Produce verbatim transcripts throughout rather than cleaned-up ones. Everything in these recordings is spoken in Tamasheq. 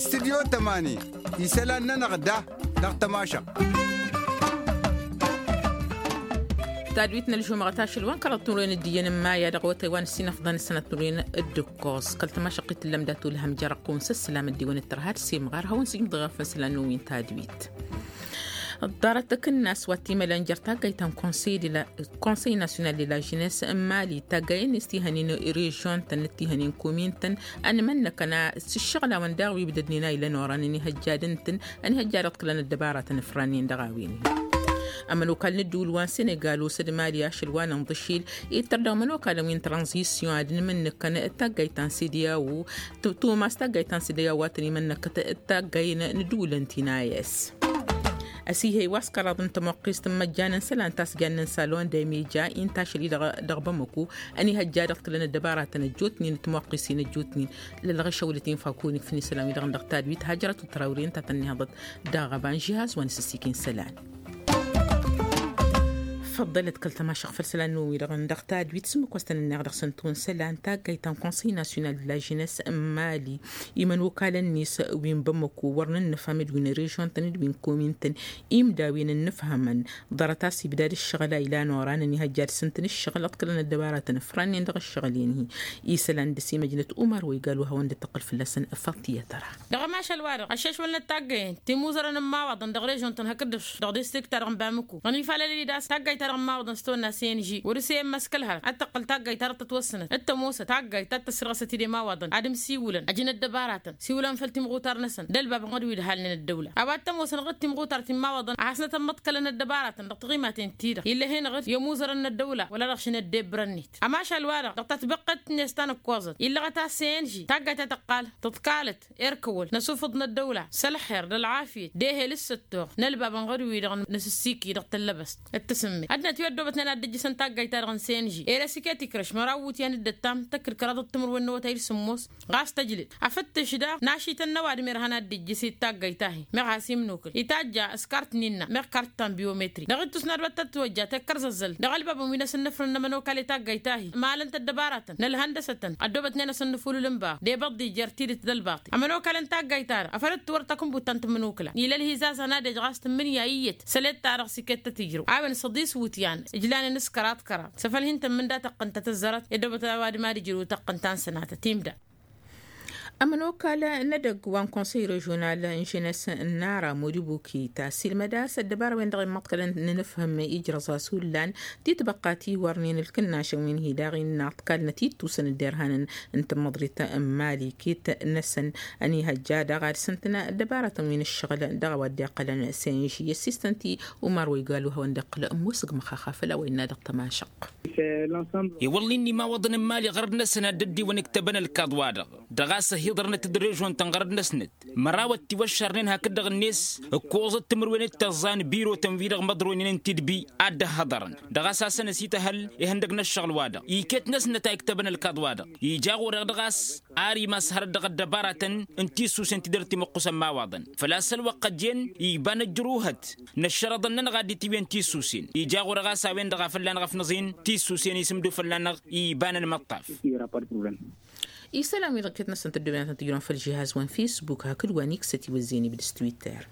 Studyo tămani isălan-nănăɣ da dăɣ-tămašăɣt. Tadwit n-ălžumăɣăt ašăl wa n-kăraḍ timǝrwen d-iyyăn n-maya dăɣ-awătay wa n-ǝssin ăfḍăn ǝssănăt timǝrwen d-ǝkkoẓ kăl-tămašăɣt-i tǝllăm dat-ulhăm jer-ăqqum s-ǝssǝlam ăddiwăn d-tărha d-simɣar hawăn-sǝjmǝḍ ɣef isălan n-wi n-tadwit. Ḍarăt akǝnnas wa t-imălan jer-taggayt ta n-konsăy nasyonal de la žines n-mali taggayen-net tihănen režion-tăn d-tihănen komin-tăn ănmănnăkăn s-ǝššăɣlawăn daɣ wi bǝdădnen a ilăn oran ănihăjjad ǝntăn ănihăjjad ăḍkǝlăn ăddăbaratăn ǝfrannen dăɣ-a-wen. Ămănokal n-ǝddǝwǝl wa n-senegal osăd mali ašăl wa n-inḍǝšil ittăr dăɣ-imănokalăn wi n-tranzisyon ad-ǝnmǝnnǝkăn d-taggayt ta n-sediyawo. Tumas taggayt ta n-sediyawo a tăn-imănnăkăt d-taggay n-ǝddǝwǝlăn ti n-a s. Ăsihăy wa s-kăraḍ n-tămoqqist n-imăjjan n-isălan ta s-jannen salon de mija inta ašăl-i dăɣ-bamăko ănihăjja dăɣ-t kălăn ăddăbaratăn ăjjootnen d-tămoqqistin ăjjootnen. Lălɣăšăwlăt infakun ikfǝn isălan-wi-dăɣ n-dăɣ tadwit hajrăt u-tărawri ǝnta a tăn-inhăḍăt dăɣ-aɣăba n-žihaz wa n-asǝssikin isălan. Făḍḍălăt kăl-tămašăɣ făll-isălan-năwăn-wi-dăɣ n-dăɣ tadwit s-ǝmmǝk wa s-tăn-ǝnneɣ dăɣ-săn tun isălan taggayt ta n-konsăy nasyonal de la žines n-mali imănokalăn-net wi n-bamăko wăr nǝnnǝfham d-wi n-režion-tăn d-wi n-komin-tăn imdawen ǝnnǝfhămăn. Ḍarăt a-s ibdad ǝššăɣǝl a ilan oran ănihăjjad s-ǝntăn ǝššăɣǝl ăḍkǝlăn ăddăbaratăn ǝfrannen dăɣ-ǝššăɣǝl-en-hi. Isălan dăr-s imăjnăt umar wa igal wa hawăn-dd-tăqqǝl fălla-săn. Făṭṭiyăt ăra. Dăɣ-ămašal-wa-dăɣ ăššešwălnăt taggăyen timuzărăn n-imawaḍăn dăɣ-režion-tăn hakd-dăɣ dăɣ-distrikt-ta-dăɣ n-bamǝku ănifalălăl-dd a-s taggayt-ta-dăɣ n-imawaḍăn s-tăwănna s-e n g wăr-s e n-măskălhărăt ad-tăqqǝl taggayt ta dăɣ-tătwăssănăt d-tămoosăt taggayt ta d-tăssirɣăsăt-dd i-imawaḍăn ad-ǝmsiwǝlăn ăjǝn ăddăbaratăn siwǝlăn făll-timɣutar-năsăn d-ălbab ɣur-dd halnen ăddăwla a-wa t-ămoosăn ɣur-dd timɣutar ti n-imawaḍăn ad-hasnăt ămmăḍkălăn ăddăbaratăn dăɣ-tiɣimaten-ti-dăɣ ill'-e-hen ɣur-dd i-ămuzărăn n-ăddăwla wăla dăɣ-šăn ăddebrăn-net. Ămašal-wa-dăɣ dăɣ-tatbăqqet-net ta n-ǝkkoẓăt illăɣăt a-s e n g taggayt ta tăqqal tǝḍkalăt erkăwăl n-asufǝḍ n-ăddăwla s-ălxer d-ălɣafyăt d-ehel s-săttoɣ n-ălbab n-ɣărwi-dăɣ n-asǝssikǝy dăɣ-tăllăbăst d-tasǝmmet ăddinăt wi ăddoobătnen ad-dd-ǝjjǝsăn taggayt-ta-dăɣ n-senži. Ere s-iket ikrăš măraw iwǝtyan d-ǝttam tăkkǝd kăraḍăt timǝrwen n-awătay d-sǝmmos ɣas tăjlǝd afǝttǝš daɣ n-ašităn n-ăwadǝm irhăn ad-dd-ijjǝs i-taggayt-ahi meɣ has-imnukǝl itajja s-kart n-innă meɣ kart ta n-biyomătri dăɣ-ittus n-ad-wăt tăt-wăjja tekkăr zăzzăl dăɣ-ălbabăn wi n-asǝnnǝfrǝn n-ămănokal i-taggayt-ahi. Malăn-t ăddăbaratăn n-ălhăndăsătăn ăddoobătnen asǝnnǝfulǝl n-baɣ d-ebăḍḍi jer-tidǝt d-ălbaṭi ămănokal n-taggayt-ta-dăɣ afăl dd-tiwăr takǝnbut ta n-tǝmmǝnukǝla. Ilăl hizazăn ad-ej ɣas tǝmmǝnǝya iyyăt sălet-ta-dăɣ s-iket tăt-ijrăw a-wen săḍis iwǝtyan ǝjlanăn s-kăraḍ-kăraḍ s-afăl hin-tămmǝnda tăqqǝn ta tăzzărăt i-ăddoobăt a-wa d-mad-ijrǝw tăqqǝn ta n-sănatăt imda. Ămănokal n-edăgg wa n-konsăy režional n-ženes n-ara modibuki ta silmăd a-s ăddăbara-wen-dăɣ immăḍkălăn n-inǝfhǝm ijrăẓ-as hullan titbăqqa tiwărnen ǝlkǝnnašăn wi n-hi-daɣ innă ăḍkalnăt ittusăn dd-irhanăn n-tǝmmăḍrit n-mali kit-năsăn. Ănihăjja daɣ ad-sǝntǝn ăddăbaratăn wi n-ǝššăɣǝl dăɣ-a-wa dd-iqqălăn senži i-assistăn-ti umar wa igalu hawăn-dd-iqqǝl ămmusǝg măxaxa făll-a-wa innă dăɣ-tămašăɣt. I-wălla-i n-imawaḍăn n-mali ɣărăd-năsăn ad-dd-ăddiwăn ǝktăbăn ălkaḍ-wa-dăɣ dăɣ-a-s ăhiḍărnăt d-režon-tăn ɣărăd-năsnăt măraw ăttiwăššărnen hakd-dăɣ-net ǝkkoẓăt timǝrwen d-tăẓẓa n-birotăn-wi-dăɣ măḍroynen n-tidbi ad-dd-ăhhăḍărăn dăɣ-a-s hasăn-ăsităhăl ihăndăg n-ăššăɣǝl-wa-dăɣ iket-năsnăt a iktăbăn ălkaḍ-wa-dăɣ ija ɣur-eɣ dăɣ-a-s ar imas hărăt dăɣ-ăddăbaratăn n-tissusen ti dăr-timǝqqusăn imawaḍăn făl-a-s ălwăqq ăjjeen iba n-ăjruhăt n-ăššărăḍăn-nănăɣ a dd-itiwǝyăn tissusen ija ɣur-eɣ a-s a-wen-dăɣ a fălla-năɣ ăfnăẓin tissusen isǝmdu fălla-năɣ iba n-ălmăṭṭaf. Isălan-wi-dăɣ iket-năsăn tăddoben ad-tăn-tǝjrǝwăn făll-žihaz wa n-fisbuk hakd wa n-iksăt iwǝzzin ibdǝs twitter.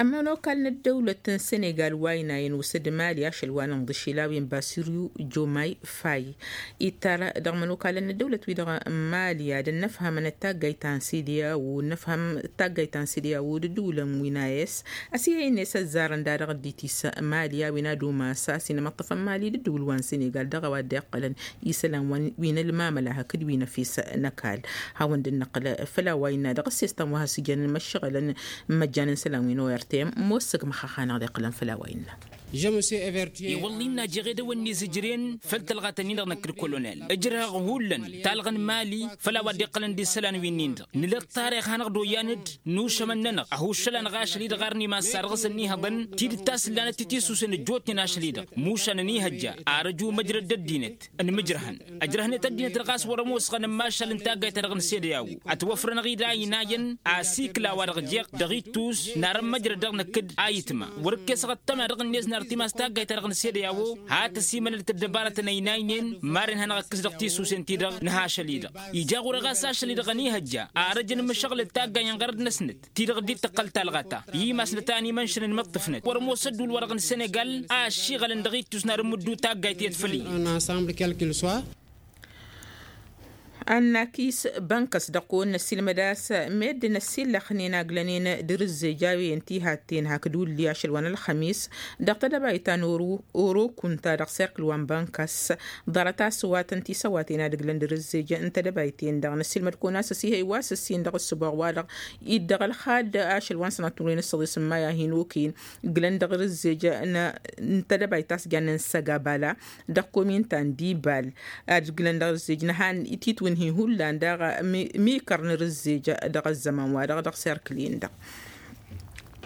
Ămănokal n-ăddăwlăt n-senegal wa ăynayăn osăd mali ašăl wa n-inḍǝšil a-wen basiryu jomay fay ittar dăɣ-imănokalăn n-ăddăwlăt-wi-dăɣ n-mali ad-ănnăfhămăn d-taggayt ta n-sediyawo ănnăfhăm d-taggayt ta n-sediyawo d-ǝddǝwǝlăn wi n-a s. Ăsihăyăn-net ăzzarăn da-dăɣ dd-itis mali a-wen ad-umas a-s inmăṭṭăfăn mali d-ǝddǝwǝl wa n-senegal dăɣ-a-wa dd-iqqălăn isălan wi n-ălmamăla hakd wi n-efes n-ăkall. Hawăn-dd-năqqǝl făll-a-wa innă dăɣ-ăssestan wa has-ijăn n-imăššăɣǝlăn n-imăjjan n-isălan wi n-ortm mossăg măxxax-anăɣ dd-iqqǝlăn făll-a-wa innă. I-wălla-i n-ajeɣ edăwănni zǝjren făll-tălɣatăn-in-dăɣ năkk d-kolonel ǝjrăhăɣ hullan talɣa n-mali făll-a-wa dd-iqqălăn d-isălan wi-nin-dăɣ nǝla ăṭṭarix-anăɣ d-oyyan-dd nušămăn-nănăɣ ăhuššăl-anăɣ ašăl-i-dăɣ arni massa dăɣ-s ănniihăḍăn tidǝt ta s-ǝllanăt titisusen ăjjootnen ašăl-i-dăɣ mušan ăniihăjja ar ăju măjrăd d-ăddinăt ănmǝjrăhăn ăjrăhnet ăddinăt dăɣ-a-s wăr-ămoosăɣăn n-imašal n-taggayt-ta-dăɣ n-sedeyawo. Ătwăfrănăɣ-dd a inayăn asikla wa dăɣ-jeɣ dăɣ-ittus n-arăn măjrăd dăɣ-năkk d-ayǝtma wăr-ǝkkesăɣ ăṭṭăma dăɣ-net n-ar timas taggayt-ta-dăɣ n-sede a-wo. Hat ăsimănălăt ăddăbarătăn ăynaynen maren hanăɣ-ăkkǝs dăɣ-tisusen-ti-dăɣ n-ha ašăl-i-dăɣ. Ija ɣur-e ɣas ašăl-i-dăɣ ănihăjja arăj n-imǝššăɣǝl d-taggay n-ɣărăt-năsnăt ti-dăɣ dd-tǝqqăl talɣa-ta. Imasnăt a ănimănšăn n-imǝṭṭǝfnăt wăr ămoos ădduul-wa-dăɣ n-senegal a ăššiɣălăn dăɣ-ittus n-ad-ǝmmǝddu taggayt i-ad-făll-iyyăn. Ănnakis bănkăs dăɣ-kăwăn-năssiilmăd a-s meddǝn ăssiillăxnen a glănen d-rǝzzej a-wen ti hatten hakd ulli ašăl wa n-ălxămis dăɣ-tedăbayt ta n-oro kunta dăɣ-serkǝl wa n-bănkăs. Ḍarăt a-s wa tăn-tisăwaten ad-ǝglăn d-rǝzzej n-tedăbayt-en-dăɣ năssiilmăd-kăwăn a-s ăsihăy wa s-ǝssin dăɣ-ǝssǝboɣ-wa-dăɣ iddăɣ ălxad ašăl wa n-sănatămruwen s-săḍis n-maya hin-oken. Glăn dăɣ-rǝzzej n-tedăbayt ta s-jannen săgabala dăɣ-komintan d-ibal ad-glăn dăɣ-rǝzzej n-han titwǝnhi hullan daɣ. Mikăr n-rǝzzej dăɣ-ăzzăman-wa-dăɣ dăɣ-serkǝl-in-dăɣ.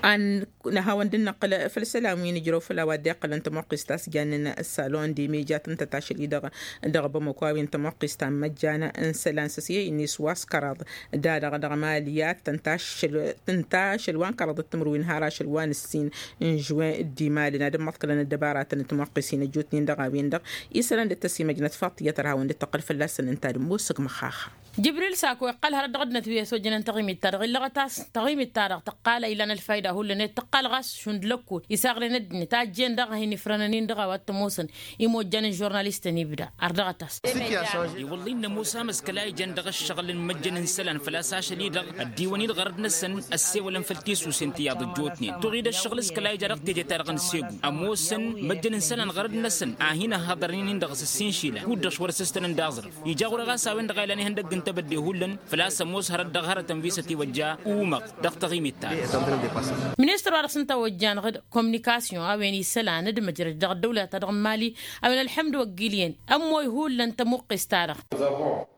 An năhawăn dd-năqqǝl făll-isălan wi n-ijrăw făll-a-wa dd-iqqălăn tămoqqist ta s-jannen salon de mejat n-tătašăl-i-dăɣ dăɣ-bamăko a-wen tămoqqist ta n-măjjan n-isălan s-ăsyăy-net wa s-kăraḍ. Da-dăɣ dăɣ-mali ad-tăn-tašăl tăn-tašăl wa n-kăraḍăt timǝrwen har ašăl wa n-ǝssin n-žuwen d-imalăn ad-ǝmmăḍkălăn ăddăbaratăn d-timăqqis-in ăjjootnen dăɣ-a-wen-dăɣ. Isălan dd-tăsimăjnăt faḍt tiyyăt ărhawăn dd-tăqqăl fălla-săn ǝnta d-ămoosăg măxaxa. Jibril sako iqqăl hărăt dăɣ-ăddinăt wi ăsojănăn taɣimit-ta-dăɣ illăɣăt-as taɣimit-ta-dăɣ tăqqal a ilan ălfayda hullan i-tăqqal ɣas šund lăkkol isaɣren ăddinăt a ăjjeen daɣ a hin-ifrănăn-in dăɣ-a-wa t-ămoosăn. Imojjan n-žurnalistăn ibda ardăɣăt-as. I-wălla-i n-ămoos amăskăl a ijăn dăɣ-ǝššăɣǝl n-imăjjăn n-isălan făl-a-s ašăl-i-dăɣ ăddiwăn-dd ɣărăt-năsăn ăssewălăn făll-tisusen ti iyyăḍ ăjjootnen tuɣ-dd ǝššăɣǝl s-kăla ija dăɣ-teje-ta-dăɣ n-segu. Ămoosăn măjjăn n-isălan ɣărăt-năsăn a hin-ăhhăḍărnen-in dăɣ-s ǝssin išilan kud-dăɣ š-wăr-ăssistăn ǝnda aẓrǝf. Ija ɣur-e ɣas a-wen-dăɣ a ilan ihăndăgg n-tebădde hullan făl-a-s ămoos hărăt dăɣ-hărătăn wi s-ătiwăjja umăɣ dăɣ-taɣimit-ta-dăɣ. Ministăr wa dăɣ-s ǝnta ojjan ɣǝd kominikasyon a-wen isălan d-măjrăd dăɣ-ăddăwla-ta-dăɣ n-mali a-wen ălḥămd wăgg-ilyen ămmoy hullan tămuqqest-ta-dăɣ.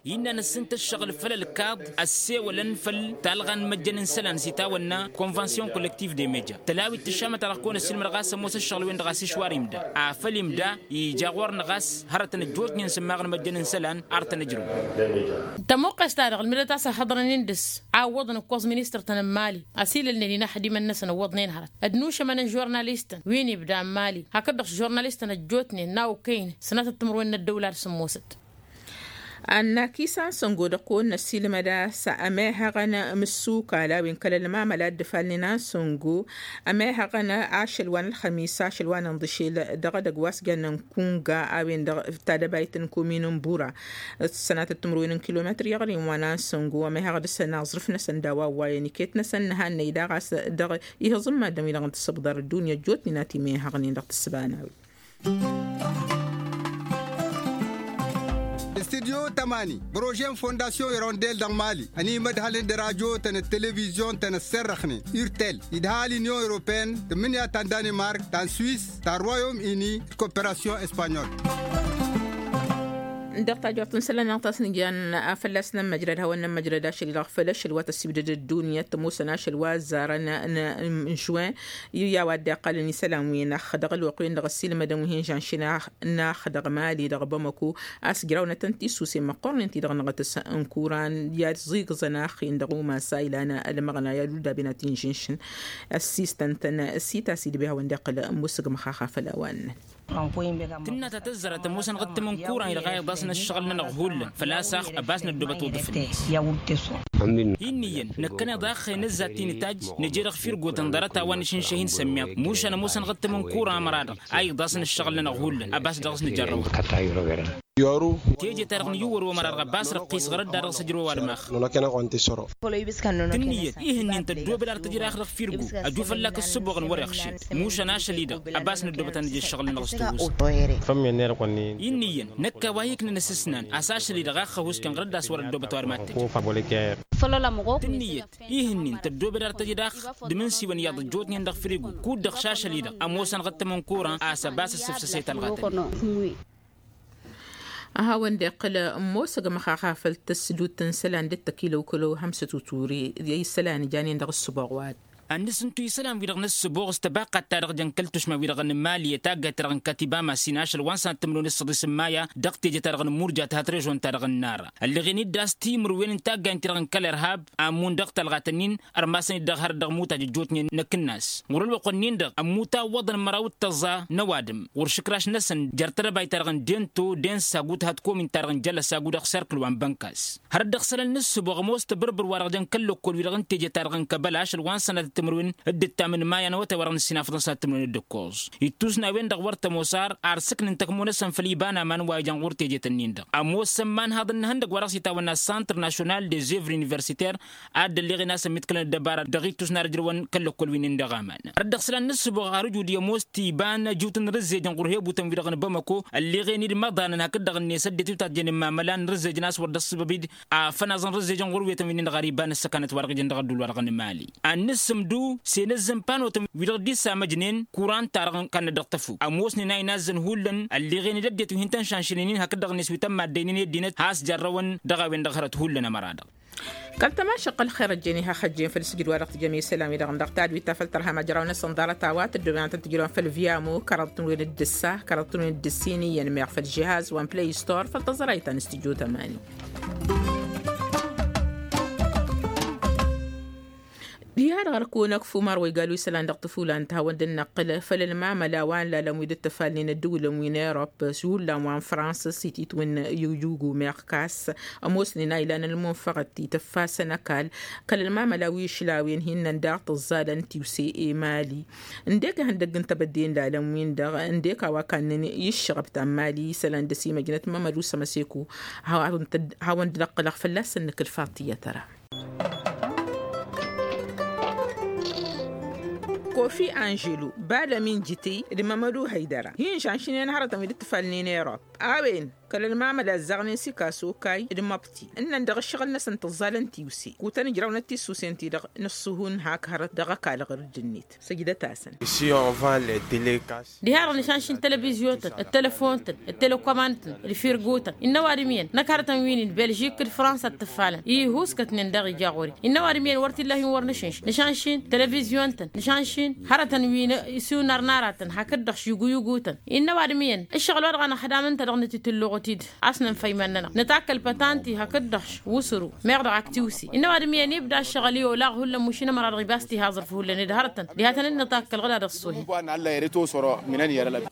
Innă năssǝntă ǝššăɣǝl făll-ălkaḍ ăssewălăn făll-talɣa n-imăjjăn n-isălan s-itawănna konvansyon kollektiv de meja tălawit tǝššamăt-ta-dăɣ kăwăn-ăssilmăd ɣas ămoos ǝššăɣǝl-wen-dăɣ a-s išwar imda afăl imda. Ija ɣur-năɣ a-s hărătăn ăjjootnen sǝmmaɣăn imăjjăn n-isălan ar tăn-ǝjrǝw. Tămuqqes-ta-dăɣ ǝlmǝdăt a-s ăhhăḍrăn-in dăɣ-s a ǝwwăḍăn ǝkkoẓ ministăr-tăn n-mali ăsilălnen inaxdimăn-năsăn ǝwwăḍnen hărăt ădnušămăn n-žurnalistăn wi n-ibda n-mali hakd-dăɣ žurnalistăn ăjjootnen n-a okăyăn sănatăt timǝrwen n-ăddăwla d-sǝmmosăt. Ănnakis ansăngo dăɣ-kăwăn-năssiilmăd a-s ămehăɣăn mǝssukal a-wen kăl-ălmamăl a dd-ǝfalnen ansăngo ămehăɣăn ašăl wa n-ălxămis ašăl wa n-inḍǝšel dăɣ-edăgg wa s-jannen kunga a-wen-dăɣ tadăbayt n-komin n-bura. Sănatăt timǝrwen n-kilometăr i-aɣrǝyăn wa n-ansăngo ămehăɣ dăɣ-săn aẓrǝf-năsăn d-a-wa ăwwayăn iket-năsăn nǝhannăy daɣ a-s dăɣ-ihǝẓǝm maddǝn-wi-dăɣ n-tǝssǝbḍar ăddunya ăjjootnen a timehăɣnen dăɣ-tǝssǝba n-a-wen. Studyo tămani bărože n-fondasyon irondel dăɣ-mali ănimădhălăn d-radyo-tăn d-televizyon-tăn ăssărrăxnen urtel idha l-inyon europeen tǝmmǝnǝya ta n-danimark ta n-swis ta n-royom ini d-koperasyon espanyol. Dăɣ-tajort n-isălan-năɣ ta s-nǝjjan a fălla-s nămmăjrăd hawăn-nămmăjrăd ašăl-i-dăɣ făll-ašăl wa tăsibdăd ăddunya tămoosăn ašăl wa ăzzarăn n-žwen. I-a-wa dd-iqqălăn isălan-wi-năx dăɣ-ălwăqq-wen-dăɣ ăssiilmădăn wi hin-žănšen ax-nax dăɣ-mali dăɣ-bamăko a-s ǝjrawnătăn tisusen măqqornen ti-dăɣ năɣătăs n-kuran i-ad-ẓigǝẓăn axen dăɣ-umas a ilan ălmăɣna i-ad-uldaben ad-t-inžǝnšǝn. Ăssiistăn-tăn s-itas idbe hawăn-dd-iqqǝl ămmusǝg măxaxa făll-a-wa ǝnnăn. Tǝnna ta tăzzărăt ămoosăn ɣǝttăm n-kuran-i-dăɣ a iḍasăn ǝššăɣǝl-nănăɣ hullan făl-a-s ax ăbas năddoobăt uḍǝf-net. Hin-iyyăn năkkăneḍ axxen ǝzzat-ti nǝtajj nǝje dăɣ-firgotăn ḍarăt a-wa n-išǝnšăh-in sămmiḍ mušan ămoosăn ɣǝttăm n-kuran ămăra-dăɣ a iḍasăn ǝššăɣǝl-nănăɣ hullan ăbas dăɣ-s nǝjărrăw. Teje-ta-dăɣ n-iwwăr-wămăra-dăɣ ăbas răqqis ɣărăt da dăɣ-s ǝjrǝw ăwadǝm ax. Tǝnniyăt ih'-ǝnnin tăddoobăd ar tǝjrax dăɣ-firgo ăju fălla-k ǝssǝboɣăn wăr-iɣšed mušan ašăl-i-dăɣ ăbas năddoobăt ad-nǝj ǝššăɣǝl-nănăɣ s-tawust. Tǝnniyăt năkk a-wa iknăn asǝsnan a-s ašăl-i-dăɣ a ăxxăwǝskăn ɣărăt d-a-s wăr-ăddoobăt ăwadǝm ad-tǝjjǝwǝs. Tǝnniyăt ih'-ǝnnin tăddoobăd ar tǝjrax d-imǝnsiwăn iyyăḍ ăjjootnen dăɣ-firgo kud-dăɣ šašăl-i-dăɣ ămoosăn ɣǝttăm n-kuran a-s ăbas ǝssǝfsăse talɣa-tăn. Ăhawăn-dd-iqqǝl ămoosăg măxaxa făll-tăsdut n-isălan dd-tăkilăwkălăw hămsăt uture i-isălan janen dăɣ-ǝssǝboɣ wa-dăɣ. Ad-nǝsǝntu isălan-wi-dăɣ n-ǝssǝboɣ s-tăbaqqat-ta-dăɣ jăn kăl-tušma-wi-dăɣ n-mali taggayt-ta-dăɣ n-katiba masin ašăl wa n-sănat timǝrwen s-săḍis n-maya dăɣ-teje-ta-dăɣ n-murja tǝhat režon-ta-dăɣ n-nara ălleɣen-dd a-s timǝrwen n-taggayen-ti-dăɣ n-kăl-irhab. Ammun dăɣ-talɣat-ǝnnin ărmasăn-dd dăɣ-harăt dăɣ-imutaj ăjjootnen năkk-năs ɣur-ălwăqq-ǝnnin-dăɣ ămmuta ǝwwăḍăn măraw d-tăẓẓa n-ăwadǝm ɣur-išǝkraš-năsăn jer-tedăbayt-ta-dăɣ n-dento densa gutăhăt komin-ta-dăɣ n-jălăsagu dăɣ-serkǝl wa n-bănkas. Hărăt dăɣ-isălan n-ǝssǝboɣ ămoos tebărbăr-wa-dăɣ jăn kăl-lăkkol-wi-dăɣ n-teje-ta-dăɣ n-kăbăl ašăl wa n-sănatăt timǝrwen d-ǝttam n-maya n-awătay-wa-dăɣ n-ǝssin afḍăn sănatăt timǝrwen d-ǝkkoẓ. Ittus n-a-wen-dăɣ wăr tămoos ar arsǝknǝn tăkmo-năsăn făll-iba n-aman wa ijăn ɣur-tejet-ǝnnin-dăɣ ămoosăn imanhaḍ n-ihăndăgg wa dăɣ-s itawănna santr national des œuvres universitaires. Ad-dd-ălleɣen a-s ămmiḍkălăn ăddăbara dăɣ-ittus n-ad-ǝjrăwăn kăl-lăkkol wi-nin dăɣ-aman. Hărăt dăɣ-isălan n-ǝssǝboɣ har ǝjud i-ămoos tiba n-ajut n-rǝzzej n-ɣur-hebutăn-wi-dăɣ n-bamăko ălleɣen-dd imăḍanăn hakd-dăɣ-net ăddinăt wi tajjănen mamăla n-rǝzzej n-a-s wăr dd-ăssǝbăb-dd. Afănaẓ n-rǝzzej n-ɣur-wetăn wi-nin-dăɣ ar iba n-ǝssăkanăt wa dăɣ-ijăn dăɣ-ădduul wa dăɣ-nǝmali ad-nǝssǝmdu s-enăzzăn panotăn wi-dăɣ dd-issamăjnen kuran-ta-dăɣ n-kannăt dăɣ-tăfuk ămoosnen a inazzăn hullan ălleɣen-dd ăddinăt wi hin-tăn-šanšǝlnen hakd-dăɣ-net wi tămmaddăynen i-ăddinăt has-jarrăwăn dăɣ-a-wen-dăɣ hărăt hullan ămăra-dăɣ. Kăl-tămašăq ălxer ăjjeen iha xăjjen făll-sǝjdǝd wa dăɣ-tǝjjăm i-isălan-wi-dăɣ n-dăɣ tadwit ta făll-tărha măjraw-năsăn ḍarăt a-wa tǝddǝwăn ad-tăn-tǝjrăwăn făll-viamo kăraḍ tǝnwen d-ǝssa kăraḍ tǝnwen d-ǝssin iyyăn meɣ făll-žihaz wa n-play store făll-tăẓrayt ta n-studyo tămani. Diha-dăɣ ărkăwăn ăkf umar wa igal wi isălan dăɣ-tǝfulan tihawăn dd-năqqǝl făll-ălmamăla wa n-lalăn wi dd-tǝfalnen ăddǝwǝlăn wi n-erop s-hullan wa n-fransa s-ititwǝn. Ijugu meɣ kas ămoosnen a ilan ălmunfăɣăt itǝffasăn ăkall kăl-ălmamăla wi išlawen hinnăn daɣ tǝẓẓalăn tiwse i-mali. Ǝndek ihăndăgg n-tebădde n-lalăn-win-dăɣ ǝndek a-wa kannăn i-ǝššăɣăb ta n-mali isălan dăr-s imăjnăt mămădu sămăseku. Hawăn-dd-năqqǝlăɣ fălla-săn nǝkǝl faḍt iyyăt ăra. Kofi anželu bad-ămin jitǝy d-mămădu hăydăra hin-žănšnen hărătăn wi dd-tǝfalnen erop. A-wen kăl-ălmamăla ăzzaɣnen s-ikasokay d-măbti ǝnnăn dăɣ-ǝššăɣǝl-năsăn tǝẓẓalăn tiwse kutăn ǝjrăwnăt tissusen-ti-dăɣ. Nǝṣṣuhun hak hărăt dăɣ-ăkall ɣǝr-dd-net săjdăt-asăn. Diha-dăɣ nǝšanšin televizyon-tăn d-telefon-tăn d-telekăman-tăn d-firgu-tăn innă ăwadǝm iyyăn năkk hărătăn wi-nin belžik d-fransa d-tǝffalăn ihuskătnen daɣ ija ɣur-i. Innă ăwadǝm iyyăn wăr t-illa hin-wăr nǝšǝnš nǝšanšin televizyon-tăn nǝšanšin hărătăn wi n-isunnar n-aratăn hakd-dăɣ šiguyugu-tăn. Innă ăwadǝm iyyăn ǝššăɣǝl wa dăɣ-anăɣ hădam ǝnta dăɣ-nǝtitǝlluɣ-t-dd a-s nǝnfăymăn-nănăɣ nǝtakkăl pătanti hakd-dăɣ wǝsru meɣ dăɣ-ak tiwse. Innă ăwadǝm iyyăn ibda ǝššăɣǝl-i olaɣ hullan mušin ămăra-dăɣ ibas tihaẓăr făhullăn-dd hărătăn diha tăn-dd-nǝtakkăl ɣǝd ad-ăṣṣuhen.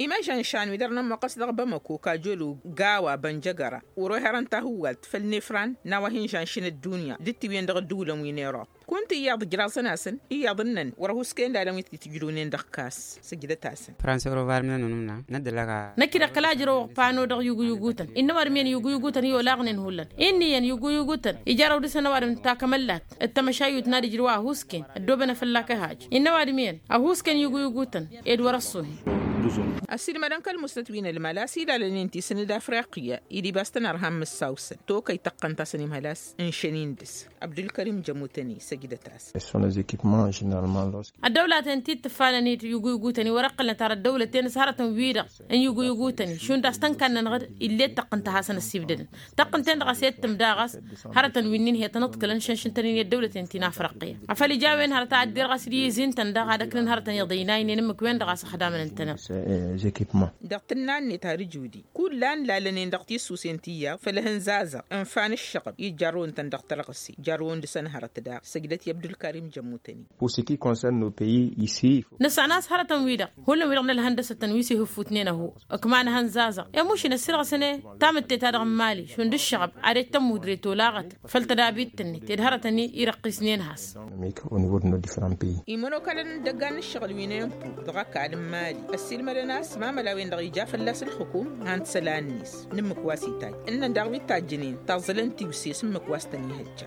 Imažăn šanwi dăr-nămmuqqăs dăɣ-bamăko kajolu gawa bănjăgăra wăr-oherăn tahǝwwalt făll-nefran n-a-wa hin-žănšin ăddunya d-tiwǝyăn dăɣ-ădduulăn wi n-erop. Kunta iyyăḍ ǝjraẓăn-asăn iyyăḍ ǝnnăn wăr-ăhuskăyăn d-alăn wi t-tǝjrǝwnen dăɣ-kas. Săjdăt-asăn. Năkk-i-dăɣ kăla ǝjrăwăɣ pano dăɣ-yuguyugutăn innă ăwadǝm iyyăn yuguyugutăn i-olaɣnen hullan. Innă iyyăn yuguyugutăn ijarrăw dăr-săn ăwadǝm d-takămăllat d-tamăšayyut n-ad-ǝjrǝw a ăhuusken ăddoobănăt fălla-k ăhaj. Innă ăwadǝm iyyăn ăhuusken yuguyugutăn ed wăr-ăṣṣuhin. Ăssiilmădăn kăl-musnăt wi n-ălmal a-s ilalăn inti s-nǝd afriqya-i d-ibas tăn-ărhan mǝssaw-săn tokăy tăqqăn-tasăn imhăl a-s ǝnšăn-in dăr-s. Abdulkărim jămutăn-i săjdăt-asăn. Ăddăwlaten ti t-ǝffanăn-dd yuguyugutăn-i wăr-ǝqqǝlnăt ar ăddăwlăten s-hărătăn-wi-dăɣ n-yuguyugutăn-i šund a-s tăn-kannănăɣ-dd ill'-e d-taqqǝnt a hasăn-ăssibdădăn. Taqqǝnt-en-dăɣ a-s i-dd-tǝm daɣ a-s hărătăn wi n-inhăyăt ănǝḍkǝlăn šănšǝntăn-in i-ăddăwlăten ti n-afrăqqǝya. Afăl ija a-wen hărăt a ăddirɣas d-iyyăz-i ǝntăn daɣ ad-ăknăn hărătăn iḍăynayn-en ǝmmǝk-wen-dăɣ a-s ăxdamăn ǝntăneḍ. Dăɣ-tǝnna-net har ǝjudi kullan lalăn-en dăɣ-tissusen ti iyyăḍ făll-ehăn zazăɣ ǝnfa n-ǝššăɣǝb i-jarrăwăn-tăn dăɣ-tărɣǝse jarrăwăn dăɣ-săn hărăt daɣ. Săjdăt i-abdulkarim jămmutăn-i. Nǝssan a-s hărătăn-wi-dăɣ hullan-wi-dăɣ n-ălhăndăsăt-tăn wi s-ihǝffutnen ăhu ǝkma n-ehăn zazăɣ i-mušǝn ăssirɣǝsăn-e tamǝtte-ta-dăɣ n-imali šund ǝššăɣăb ad-ejt tămmudret olaɣăt făll-tădabit-net ed hărătăn-i irăqqisnen has. Imănokalăn n-idăggan n-ǝššăɣǝl wi n-empo dăɣ-ăkall n-imali ăssiilmădăn a-s mamăla-wen-dăɣ ija fălla-s ǝlxǝkum han-t isălan-net n-ǝmmǝk wa s-itajj ǝnnăn daɣ wi t-tajjǝnen taẓẓălăn tiwse s-ǝmmǝk wa s-tăn-ihăjja.